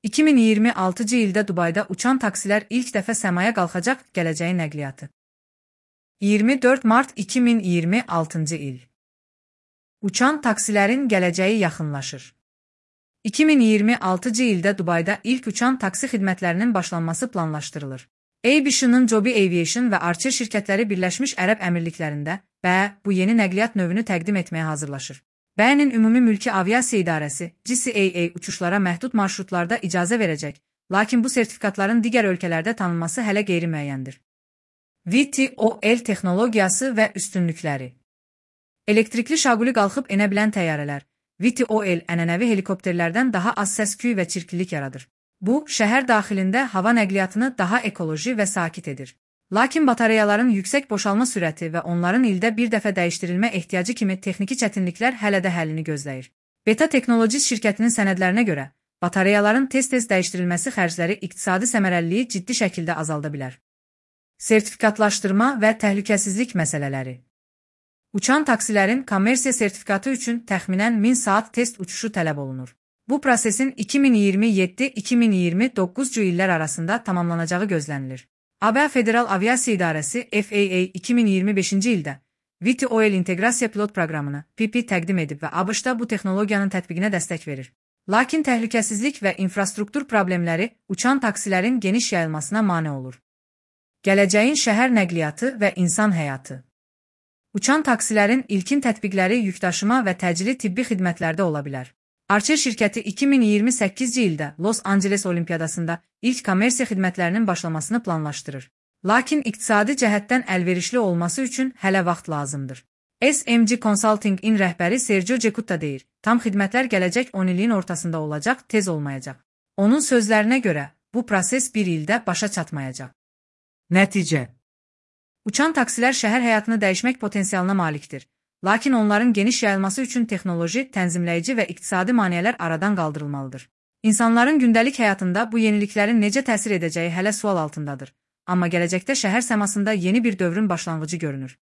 2026-cı ildə Dubayda uçan taksilər ilk dəfə səmaya qalxacaq, gələcəyin nəqliyyatı. 24 mart 2026-cı il. Uçan taksilərin gələcəyi yaxınlaşır. 2026-cı ildə Dubayda ilk uçan taksi xidmətlərinin başlanması planlaşdırılır. Aviation'ın Joby Aviation və Archer şirkətləri Birləşmiş Ərəb Əmirliklərində bu yeni nəqliyyat növünü təqdim etməyə hazırlaşır. BƏ-nin Ümumi Mülki Aviasiya İdarəsi GCAA uçuşlara məhdud marşrutlarda icazə verəcək, lakin bu sertifikatların digər ölkələrdə tanınması hələ qeyri-müəyyəndir. VTOL texnologiyası və üstünlükləri. Elektrikli şaquli qalxıb enə bilən təyyarələr. VTOL ənənəvi helikopterlərdən daha az səs-küy və çirklilik yaradır. Bu, şəhər daxilində hava nəqliyyatını daha ekoloji və sakit edir. Lakin batareyaların yüksək boşalma sürəti və onların ildə bir dəfə dəyişdirilmə ehtiyacı kimi texniki çətinliklər hələ də həllini gözləyir. Beta Technologies şirkətinin sənədlərinə görə, batareyaların tez-tez dəyişdirilməsi xərcləri iqtisadi səmərəliliyi ciddi şəkildə azalda bilər. Sertifikatlaşdırma və təhlükəsizlik məsələləri. Uçan taksilərin kommersiya sertifikatı üçün təxminən 1000 saat test uçuşu tələb olunur. Bu prosesin 2027-2029-cu illər arasında tamamlanacağı gözlənilir. ABŞ Federal Aviasiya İdarəsi FAA 2025-ci ildə VTOL İnteqrasiya Pilot Proqramını PP təqdim edib və ABŞ-da bu texnologiyanın tətbiqinə dəstək verir. Lakin təhlükəsizlik və infrastruktur problemləri uçan taksilərin geniş yayılmasına mane olur. Gələcəyin şəhər nəqliyyatı və insan həyatı. Uçan taksilərin ilkin tətbiqləri yükdaşıma və təcili tibbi xidmətlərdə ola bilər. Archer şirkəti 2028-ci ildə Los Angeles Olimpiyadasında ilk kommersiya xidmətlərinin başlamasını planlaşdırır. Lakin iqtisadi cəhətdən əlverişli olması üçün hələ vaxt lazımdır. SMG Consulting-in rəhbəri Sergio Cekutta deyir, tam xidmətlər gələcək 10 ilin ortasında olacaq, tez olmayacaq. Onun sözlərinə görə, bu proses bir ildə başa çatmayacaq. Nəticə. Uçan taksilər şəhər həyatını dəyişmək potensialına malikdir. Lakin onların geniş yayılması üçün texnoloji, tənzimləyici və iqtisadi maneələr aradan qaldırılmalıdır. İnsanların gündəlik həyatında bu yeniliklərin necə təsir edəcəyi hələ sual altındadır. Amma gələcəkdə şəhər səmasında yeni bir dövrün başlanğıcı görünür.